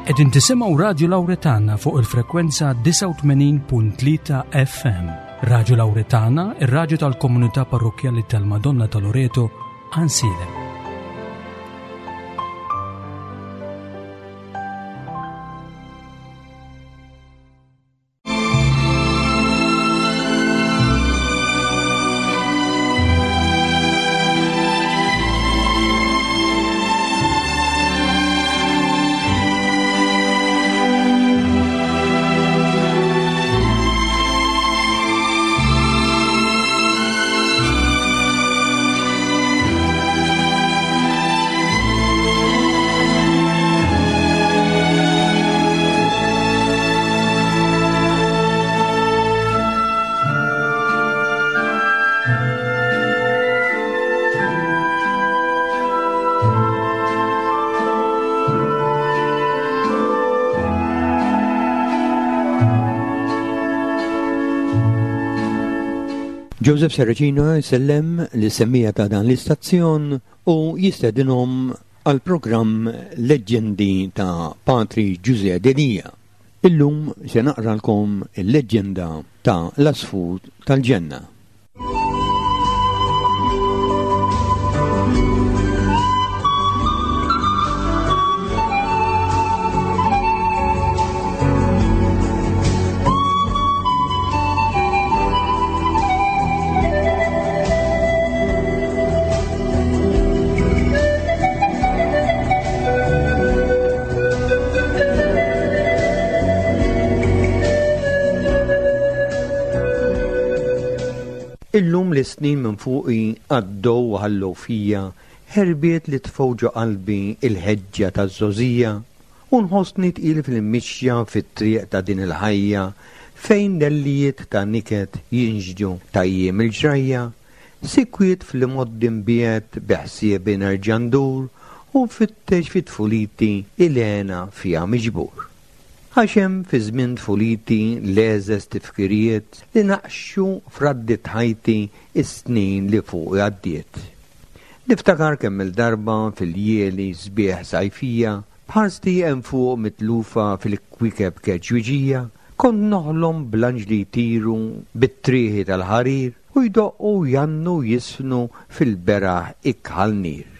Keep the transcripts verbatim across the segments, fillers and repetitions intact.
Qegħdin tisimgħu Radio Lauretana fuq il-frekwenza disgħa u tmenin punt tlieta F M. Radio Lauretana, ir-radju tal-Komunità Parrokkjali tal-Madonna ta' Loreto, Għajnsielem. Joseph Serracino jsellem lis-semmiegħa ta' dan l-istazzjon u jistedinhom għal programm Leġġendi ta' Patri Ġuże Delia. Illum se naqralkom il-leġġenda ta' l-Għasfur tal-Ġenna. Illum li snin minn fuqi għaddew u ħallew fija ħerbiet li tfew ġo qalbi il-ħeġġa taż-żgħożija u nħossni tqil fil-mixja fit-triq ta' din il-ħajja fejn dellijiet ta' niket jinġdu ta' jiem il-ġrajja, sikwit fl-imgħoddi mbiegħed bi ħsiebi nerġa' ndur u nfittex fi tfuliti il-hena fija miġbur. Għax hemm fi żmien tfuliti l-egħżeż tifkiriet li naqxu f'raddi ħajti is-snin li fuq għaddiet. Niftakar kemm il-darba fil-ljieli sbieħ sajfija, b'ħarsti hemm fuq mitlufa fil-kwiekeb keġwiġija, kont noħlom bl-anġli jtiru bit-trieħi tal-ħarir u jdoqqu jgħannu jiżfnu fil-beraħ ikħal nir.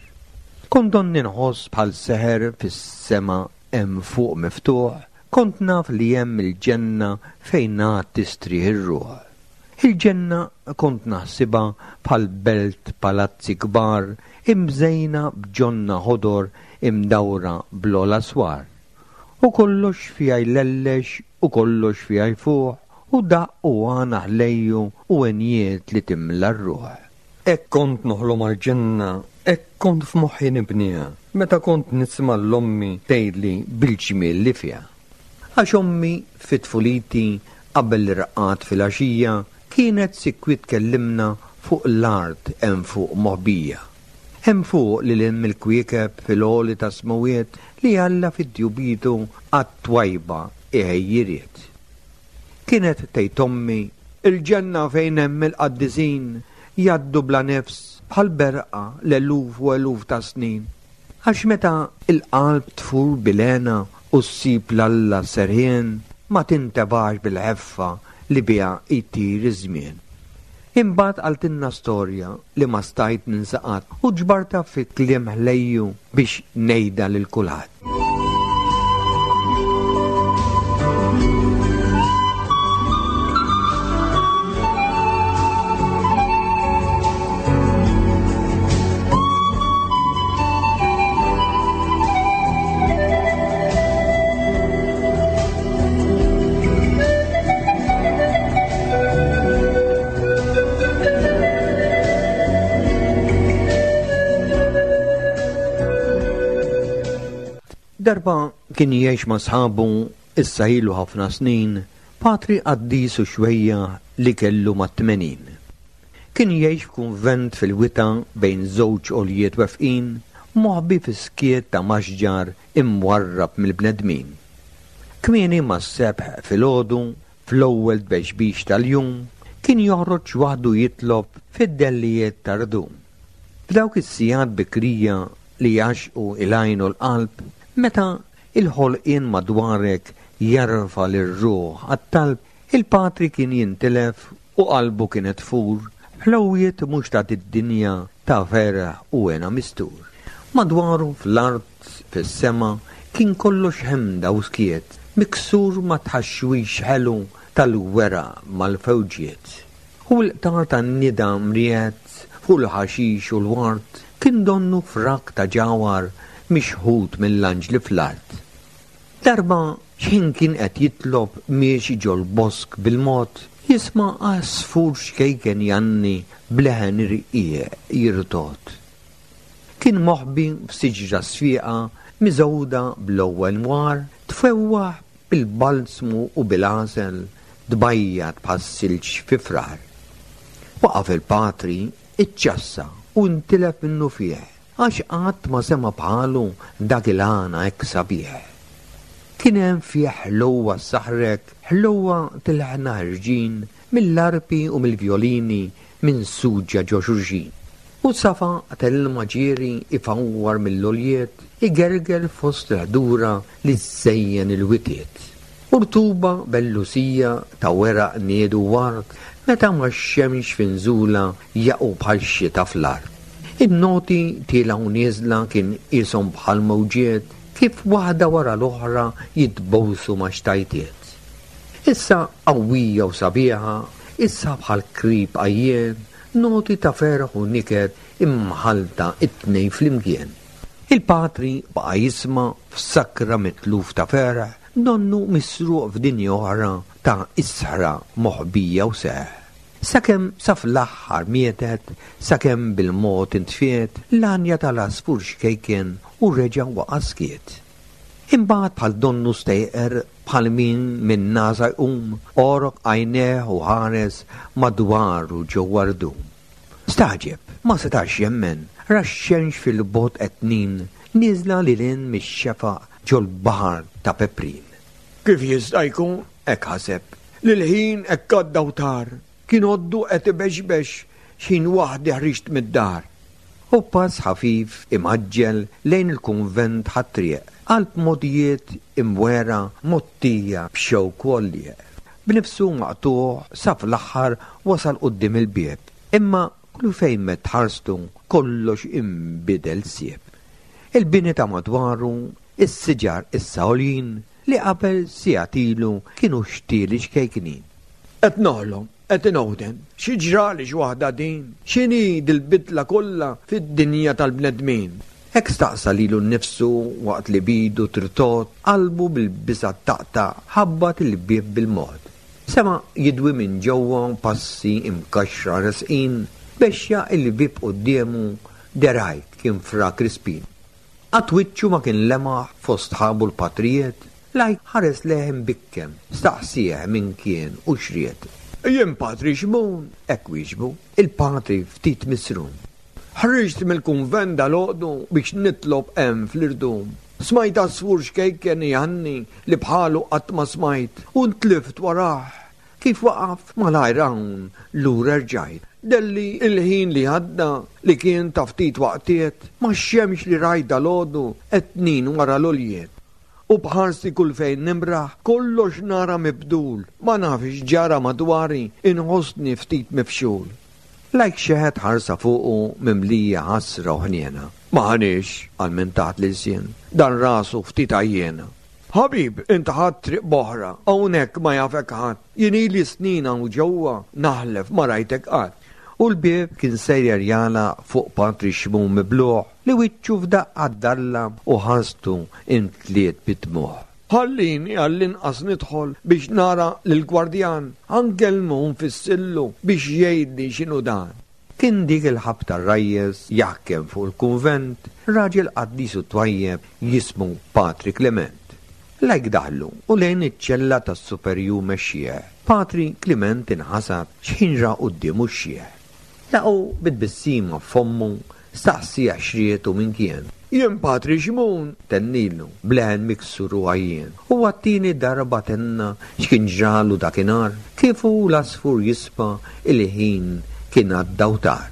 Kont donni nħoss bħal seħer fis-sema hemm fuq miftuħ, kont naf li hemm il-ġenna fejn għad tistrieħ ir-ruħ. Il-ġenna kont naħsibha bħal belt palazzi kbar imżejna b'ġonna ħodor imdawra bl-ogħla swar. U kollox fiha jlellex u kollox fiha jfuħ u daqq u għana ħlejju u għenjiet li timla r-ruħ. Hekk kont noħlom għal-ġenna, hekk kont f'moħħi nibniha, meta kont nisma' 'l ommi tgħidli bil-ġmiel li fiha. Għax ommi fit-tfuliti qabel l-irqad fil-għaxija kienet sikwit tkellimna fuq l-art hemm fuq moħbija. Hemm fuq lil hemm il-kwiekeb fil-għoli ta' smawiet li Alla fit-tjubitu għat-twajba iħejji ried. Kienet tgħid ommi il-ġenna fejn hemm il-qaddisin jgħaddu bla nefs bħal berqa l-eluf u eluf ta' snin. Għax meta il-qalb tfur bil-hena u ssib 'l Alla serħien ma tintebax bil-ħeffa li biha jtir iż-żmien. Imbagħad qaltilna storja li ma stajt ninsa qatt u ġbartha fi kliem ħlejju biex ngħidha lil kulħadd. Darba kien jgħix ma' sħabu issa ilu ħafna snin, patri qaddis u xwejjaħ li kellu mat-tmenin. Kien jgħix f'kunvent fil-wita bejn żewġ għoljiet wefqin, moħbi fi skiet ta' maxġar imwarrab mill-bnedmin. Kmieni mas-sebħ filgħodu, fl-ewwel tbexbix tal-jum, kien joħroġ waħdu jitlob fid-dellijiet tar-rdum. F'dawk is-sigħat bikrija li jgħaxqu il-għajn u l-qalb, meta il-ħolqien madwarek jarfa lir-ruħ għat-talb, il-patri kien jintilef u qalbu kienet tfur, ħlewwiet mhux ta' id-dinja ta' ferħ u hena mistur. Madwaru fl-art, fis-sema, kien kollox ħemda u skiet, miksur ma tħaxwix ħelu tal-weraq mal-fewġiet. U l-qtar tan-nida mriet fuq il-ħaxix u l-ward kien donnu frak ta' ġawhar mixħut mill-anġli fl-art. Darba x'ħin kien qed jitlob miexi ġol-bosk bil-mod, jisma' għasfur xkejken jgħanni b'leħen irqiq jirtogħod. Kien moħbi f'siġra sfiqa miżgħuda bl-ewwel nwar, tfewwaħ bil-balzmu u bil-għasel, tbajjad bħas-silġ fi frar. Waqaf il-patri, iċċassa u ntilef minnu fih, għax qatt ma sema bħalu dak il-għana hekk sabiħ. Kien hemm fih ħlewwa saħrek, ħlewwa tilħna ħerġin mill-arpi u mill-vjolini minn suġġa ġo xulxin. U safa tal-ilma ġieri ifawwar mill-għoljiet, igerger fost l-ħdura li żejjen il-witiet. U rtuba bellusija ta' weraq niedu ward, meta ma xemx finżula jaqgħu bħal xita fl-art. In-noti tielgħu nieżla kien qishom bħal mewġiet, kif waħda wara l-oħra jitbowsu ma' xtajtiet. Issa qawwija u sabiħa, issa bħal krib għajjien, noti ta' ferħ u niket imħalta it-tnejn flimkien. Il-patri baqa' jisma' f'sakra mitluf ta' ferħ, donnu misruq f'dinja oħra ta' isħra moħbija u seħ. Sakemm sa fl-aħħar mietet, sakemm bil-mod intfiet, l-għanja tal-għasfur xkejken u reġa' waqa' skiet. Imbagħad bħal donnu stejqer bħal min minn nagħsa jqum, għorok għajnejh u ħares madwaru ġewwa rdum. Stagħġeb, ma setax jemmen, ra x-xemx fil-bogħod qed tnin, nieżla lil hinn mix-xefaq ġol-baħar ta' Peprin. Kif jista' jkun, hekk ħaseb, li l-ħin hekk għadda u tar, kien għoddu qed ibexbex x'ħin waħdi ħriġt mid-dar. U pass ħafif imgħaġġel lejn il-kunvent ħat-triq, qalb mogħdijiet imwera mgħottija b'xewk u għollieq. B'nifsu maqtugħ sa fl-aħħar wasal quddiem il-bieb, imma kull fejn medd ħarstu kollox inbidel sieb. Il-bini ta' madwaru, is-siġar issa għoljin li qabel sigħat ilu kienu xtieli xkejknin. Qed noħlom, qed inowden, xi ġrali x'waħda din, x'inhi dil-bidla kollha fid-dinja tal-bnedmin. Hekk staqsa lilu nnifsu waqt li bidu tirtogħod, qalbu bil-biża' taqta' ħabbat il-bieb bil-mod. Sema jidwi minn ġewwa passi imkaxra resqin, bexxa il-bieb quddiemu derajt kien Fra Crispin. Qatt wiċċu ma kien lemaħ fost sħabu l-patrijiet, lajk ħares lejh imbikkem, staqsih min kien u x'ried. Jien Patri Xmun, hekk wieġbu, il-patri ftit misrum. Ħriġt mill-kunvent dalgħodu biex nitlob hemm fl-irdum. Smajt għasfur xkejken jgħanni li bħalu qatt ma smajt u ntlift warah. Kif waqaf malajr hawn lura rġajt. Delli il-ħin li għadda li kien ta' ftit waqtiet, ma xemx li rajt dalgħodu qed tnin wara l-għoljiet. U bħarsi kull fejn nimraħ, kollox nara mibdul, ma nafx ġara madwari, inħossni ftit mifxul. Lajk xeħet ħarsa fuqu mimlija ħasra u ħniena. Ma ħaniex, qal minn taħt l-ilsien, dan rasu ftit għajjena. Ħabib, int ħadt triq b'oħra, hawnhekk ma jafek ħadd, jien ili snin hawn ġewwa naħlef ma rajtek qatt. U l-bieb kien sejjer jagħlaq fuq Patri Xmun mibluħ li wiċċu f'daqqa ddallam u ħarstu imtliet bid-dmugħ. Ħallini għall-inqas nidħol biex nara lill-gwardjan, ħa nkellmu nfissillu biex jgħidli x'inhu dan. Kien dik il-ħabta r-rajjes jaħkem fuq il-kunvent, raġel qaddis u twajjeb jismu Patri Clement. Lajk daħlu u lejn iċ-ċella tas-superjur mexxieħ. Patri Clement inħasad x'ħin ra quddiemu x-xieħ. Laqgħu bit-tbissima f'fommu, staqsih x'ried u min kien. Jien Patri Xmun, tennilu, b'leħen miksur u għajjien. U għat-tieni darba tenna x'kien ġralu dakinhar, kif hu l-għasfur jisma' il-ħin kien għadda u tar.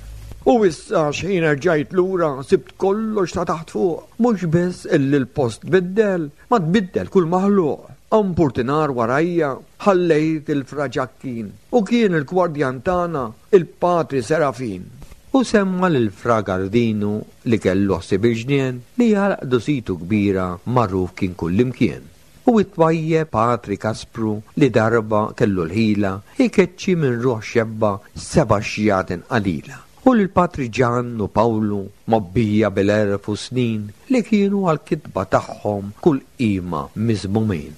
U issa x'ħin rġajt lura sibt kollox ta' taħt fuq, mhux biss illi l-post tbiddel, ma tbiddel kull maħluq. Hawn purtinar warajja ħallejt il-Fra Ġakkin u kien il-gwardjan tagħna il-Patri Serafin. U semma lil Fra Gardinu li kellu ħsieb il-ġnien li għal qdusitu kbira magħruf kien kullimkien. U it-twajjeb Patri Kaspru li darba kellu l-ħila ikeċċi minn ruħ xebba seba' xjaten qalila. U lil Patri Ġan u Pawlu mobbija bil-għerf u snin li kienu għal-kitba tagħhom kull qima miżmumin.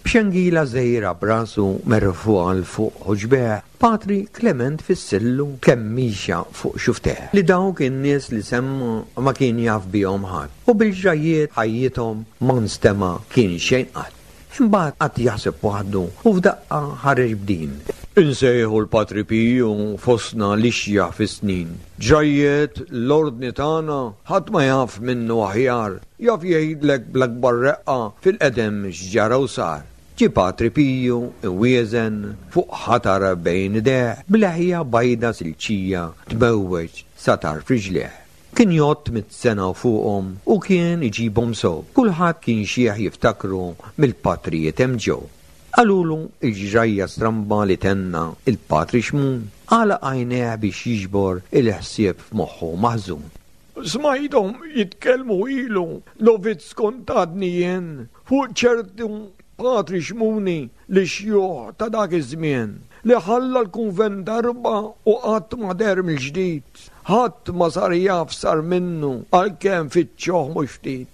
B'xengila żgħira b'rasu merfugħa 'l fuq ħuġbeh, Patri Klement fissillu kemm mixa fuq xufteh. Li dawk in-nies li semma ma kien jaf bihom ħadd u bil-ġrajiet ħajjithom ma nstema' kien xejn qatt. Imbagħad qatt jaħseb waħdu u f'daqqa ħareġ b'din. Insejħu l-Patri Piju fostna l-ixjaħ fis-snin. Ġrajiet l-ordni tagħna ħadd ma jaf minnu aħjar, jaf jgħidlek bl-akbar reqqa fil-qedem x'ġara u sar. Ġie Patri Piju iwieżen fuq ħatar bejn idejh b'leħja bajda silċija tmewweġ sa tarf riġlejh. Kien jgħodd mitt sena u fuqhom u kien iġibhom sew. Kulħadd kien xieħ jiftakru mill-patrijiet hemm ġew. Qalulu l-ġrajja stramba li tenna il-Patri Xmun, għalaq għajnejh biex jiġbor il-ħsieb f'moħħu maħżun. Smajthom jitkellmu ilu novizz kont għadni jien fuq ċertu Patri Xmuni li xjuħ ta' dak iż-żmien li ħalla l-kunvent darba u qatt ma deher mill-ġdid. Ħadd ma sar jaf sar minnu għalkemm fittxuh mhux ftit.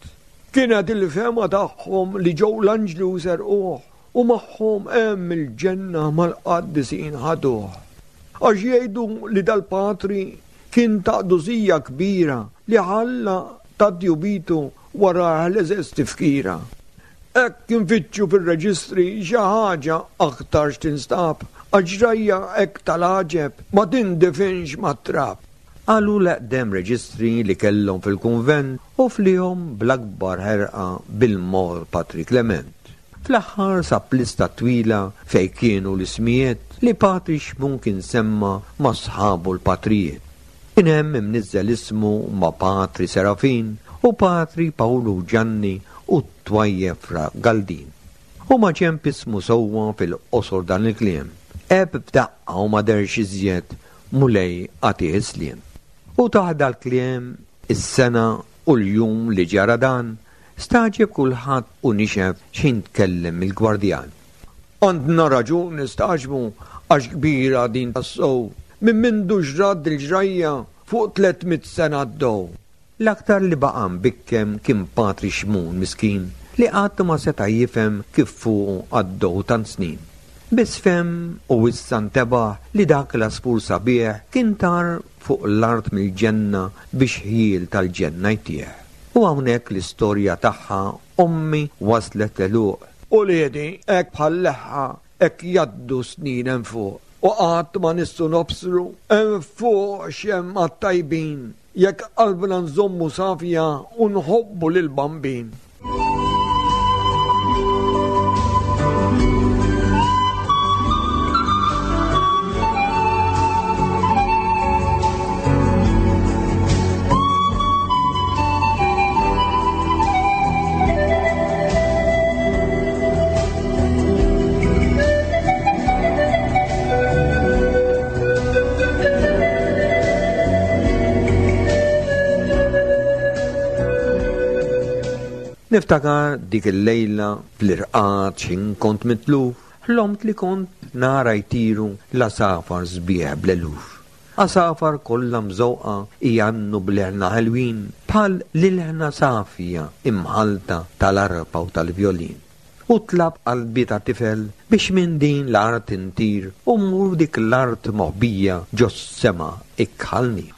Kienet il-fehma tagħhom li ġew l-anġli u serquh u magħhom hemm il-ġenna mal-qaddisin ħaduh. Għax jgħidu li dal-patri kien ta' qdusija kbira li ħalla ta' djubitu wara l-eżeż tifkira. Hekk infittxu fir-reġistri xi ħaġa aktarx tinstab, għax ġrajja hekk tal-għaġeb ma tindifinx mat-trab. Qalu l-eqdem reġistri li kellhom fil-kunvent u flihom bl-akbar ħerqa bil-mod Patri Klement. Fl-aħħar sab lista twila fejn kienu l-ismijiet li Patri Xmun kien semma ma' sħabu l-patrijiet. Kien hemm imniżżel ismu ma' Patri Serafin u Patri Pawlu Ġanni u t-twajjeb Fra Galdin. U ma ġenb ismu sewwa fil-qosor dan il-kliem. Għeb f'daqqa u ma derx iżjed Mulej għatih is-sliem. U taħda l-kliem is-sena u l-jum li ġara dan, staġeb kulħadd u nixef x'ħin tkellem il-gwardjan. Għandna raġun nistaġbu għax kbira din tas-sow, minn mindu ġrad il-ġrajja fuq tliet mitt sena għaddew. L-aktar li baqa' mbikkem kien Patri Xmun miskin li qatt ma seta' jifhem kif fuqu għaddew tant snin. Biss fehem u issa ntebaħ li dak l-għasfur sabiħ kien tar fuq l-art mill-ġenna biex ħjiel tal-ġenna jtieħ. U hawnhekk l-istorja tagħha ommi waslet l-għeluq. Uliedi hekk bħal leħħa hekk jgħaddu snin hemm fuq u qatt ma nistgħu nobsru hemm fuq x'hemm għat-tajbin jekk qalbna nżommu safja u nħobbu lill-Bambin. Niftakar dik il-lejla fl-irqad x'ħin kont mitluf, ħlomt li kont nara jtiru l-għasafar sbieħ bl-eluf. Għasafar kollha mżewqa jgħannu bl-ilħna ħelwin bħal l-ilħna safja imħalta tal-arpa u tal-vjolin. U tlab qalbi ta' tifel biex minn din l-art intir u mmur dik l-art moħbija ġos-sema ikħalni.